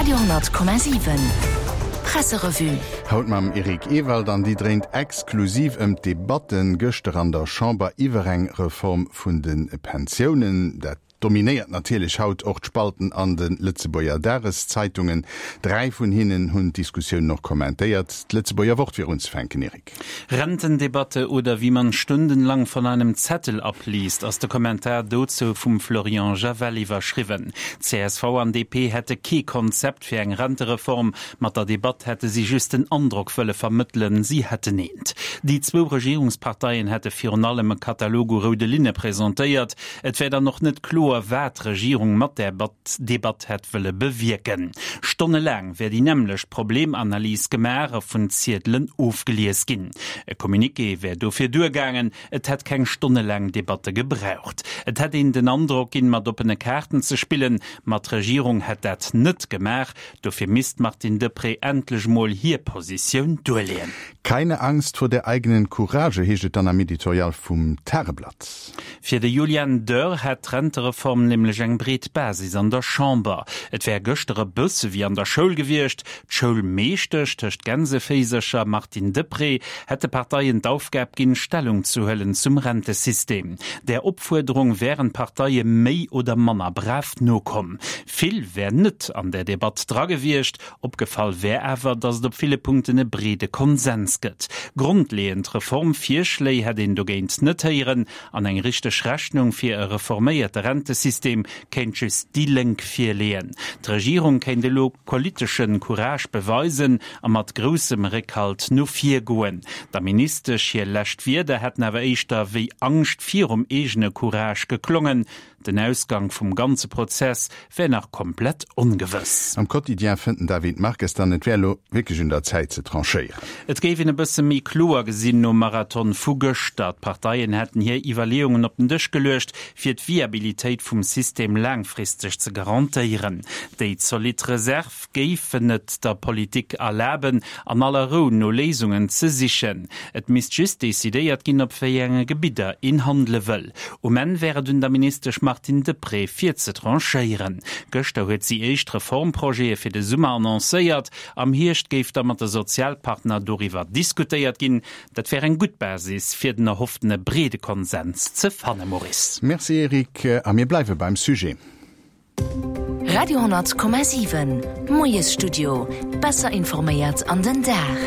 Radio,7 Presserevue. Haut mam Eric Ewald an déi dréint exklusiv ëm d'Debatten gëschter an der Chamber iwwer eng Reform vun de Pensiounen. Dat dominéiert natierlech haut och d'Spalten an de Lëtzebuerger Dageszeitungen. Dräi vun hinnen hunn d'Diskussiounen och kommentéiert. D'Lëtzebuerger Wort fir unzefänken, Eric. Rentendebatte oder wie man stundenlang von einem Zettel abliest ass de Kommentar dozou vum Florian Javel iwwerschriwwen. Csv an DP hätte kee Konzept fir eng Rentereform. Mat der Debatt hätte si just den Androck wëlle vermëttelen, si hätten eent. Déi zwou Regierungsparteien hätte virun allem e Katalog u roude Linne presentéiert. Et wär dann och net kloer, wat d'Regierung mat där Debatt hätt wëlle bewierken. Stonnelaang wär déi nämmlecht Problemanalys gemaach a vun Ziedelen ofgelies ginn. E Communiqué wär dofir duergaangen, et hätt keng stonnelaang Debatte gebraucht. Et hätt een den Androck ginn, mat oppene Kaarten ze spillen, ma d'Regierung hätt dat net gemaach. Dofir misst d'Martine Deprez endlech mol hir Positioun duerleeën. Keine Angst vor der eigenen Courage, heescht et dann am Editorial vum Tageblatt. Fir de Julian Dörr hätt d'Rentereform nämlech eng breet Basis an der Chamber. Et wär gëschter e bësse wéi an der Schoul gewiescht. D'Schoulmeeschtesch, tëscht Gänseféisercher, Martine Deprez, hätt de Parteien d'Aufgab ginn, Stellung ze huelen zum Rentesystem. Där Opfuerderung wären d'Parteie méi oder manner brav nokomm. Vill wär net an där Debatt dra gewiescht. Opgefall wär awer, datt et op ville Punkten e breede Konsens gëtt. Grondleeënd Reformvirschléi hätt een dogéint net héieren an eng richteg Rechnung fir e reforméierte Rentesystem kéint just déi Lénk virleeën. D'Regierung kéint elo politesche Courage beweisen a mat groussem Réckhalt no vir goen. Der Ministesch hir lescht Wierder hätten awer éischter wéi Angscht virum eegene Courage geklongen. Den Ausgang vum ganze Prozess wär nach komplett ongewëss. Am Quotidien fënnt den David Marques dann, et wär elo wierklech un der Zäit ze tranchéieren. Et géif een e bësse méi kloer gesinn nom Marathon vu gëschter. D'Parteien hätten hir Iwwerleeungen op den Dësch geluecht, fir d'Viabilitéit vum System laangfristeg ze garantéieren. Déi zolidd Reserve géifen et der Politik erlaben, an aller Rou no Léisungen ze sichen. Et misst just decidéiert ginn, op wéi enge Gebidder een handele wëll. Um Enn wär et un der Ministesch Martine Deprez, fir ze tranchéieren. Gëschter huet si éischt Reformprojete fir de Summer annoncéiert. Am Hierscht géif da mat de Sozialpartner doriwwer diskutéiert ginn. Dat wär eng gutt Basis, fir den erhofftene breede Konsens ze fannen. Maurice. Merci Eric, a mir bleiwe beim Sujet. Radio 10,7 Moiesstudio, besser informéiert an den Dag.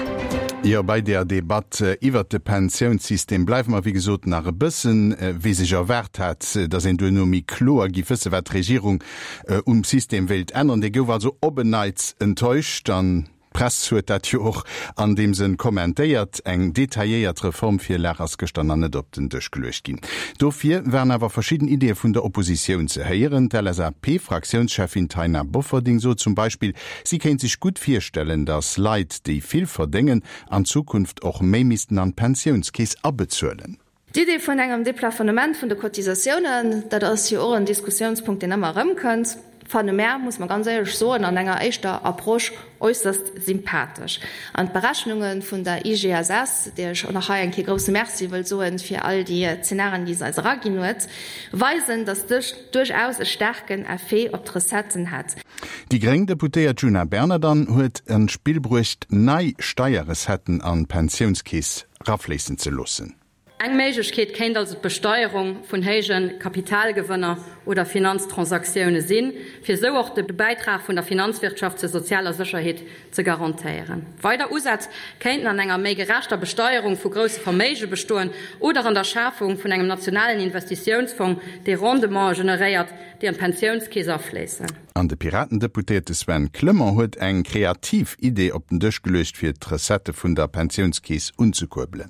Jo, bei der Debatt iwwert de Pensiounssystem bleiwe mer, wéi gesot, nach e bëssen. Wie sech erwaart hat, datt een duerno méi kloer giff wësse wat d'Regierung um System wéilt änneren, dee gouf also op en Neits enttäuscht. An D'Press huet dat jo och an deem Sënn kommentéiert. Eng detailléiert Reformvirlag ass gëschter nach net op den Dësch geluecht ginn. Dofir waren awer verschidden Ideeë vun der Oppositioun ze héieren. D'LSAP-Fraktiounscheffin Taina Bofferding sot zum Beispill, si kéint sech gutt virstellen, datt Leit, déi vill verdéngen, an Zukunft och méi missten an d'Pensiounskeess abezuelen. D'Idee vun engem Deplafonnement vun de Cotisatiounen, dat ass jo och en Diskussiounspunkt, deen ëmmer erëmkënnt, fanne mär, muss mer ganz éierlech soen, an enger éischter Approche äusserst sympathesch. An d'Berechnunge vun der IGSS, där ech och nach hei eng Kéier grousse Merci wëll soen fir all déi Zenarien, déi se eis eraginn huet, weisen, dass dëst duerchaus e staarken Effet op d'Recetten hätt. Déi gréng Deputéiert Djuna Bernard dann huet an d'Spill bruecht, nei Steierrecetten an d'Pensiounskeess rafléissen ze loossen. Eng Méiglechkeet kéint also d'Besteierung vun héije Kapitalgewënner oder Finanztransaktioune sinn, fir esou och de Bäitrag vun der Finanzwirtschaft zur sozialer Sécherheet ze garantéieren. Weider Usätz kéinten an enger méi gerechter Besteierung vu grousse Verméige bestoen oder an der Schafung vun engem nationalen Investitiounsfong, dee Rendemente generéiert, déi an d'Pensiounskeess afléissen. An de Piraten-Deputéierte Sven Clement huet eng kreativ Idee op den Dësch geluecht, fir d'Recettë vun der Pensiounskeess unzekuerbelen.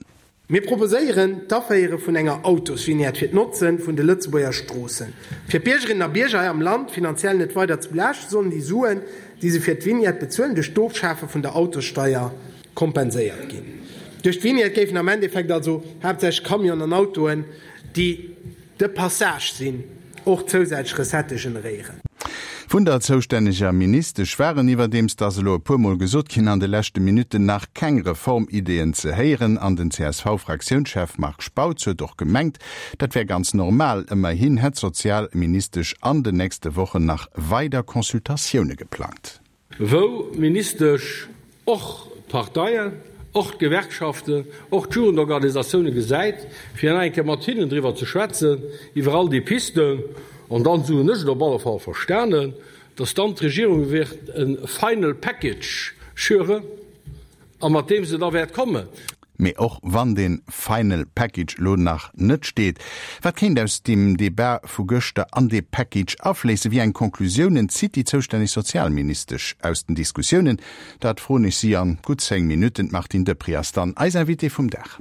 Mir proposéieren d'Aféiere vun enger Autosvignette fir d'Notze vun de Lëtzebuerger Stroossen. Fir d'Biergerinnen a Bierger hei am Land finanziell net weider ze belaaschten, sollen déi Suen, déi se fir d'Vignette bezuelen, duerch d'Ofschafe vun der Autossteier kompenséiert ginn. Duerch d'Vignette géifen am Endeffekt also haaptsächlech Camionen an Autoen, déi de Passage sinn, och zousätzlech Recettë generéieren. Vun der zoustänneger Ministesch waren, iwwerdeems, dat ass elo e puer Mol gesot ginn an de leschte Minutten, nach keng Reformideeën ze héieren. An den CSV-Fraktiounschef Marc Spautz huet och gemengt, dat wär ganz normal. Ëmmerhin hätt d'Sozialministesch an den nächste Wochen nach weider Consultatioune geplangt. Wou d'Ministesch och d'Parteien, och d'Gewerkschaften, och d'Jugendorganisatioune gesäit, fir nach eng Kéier mat hinnen driwwer ze schwätzen, iwwer all déi Pisten. An dann, esou hunn ech et op alle Fall verstanen, dass dann d'Regierung wäert e final package schüren a mat deem se da wäert kommen. Mee och wann dee final package elo nach net steet, wat kéint aus deem Debat vu gëschter an dee Package afléissen? Wéi eng Conclusiounen zitt déi zoustänneg Sozialministesch aus den Diskussiounen? Dat froen ech si an gutt 10 Minutten. D'Martine Deprez ass dann eis Invitée vum Dag.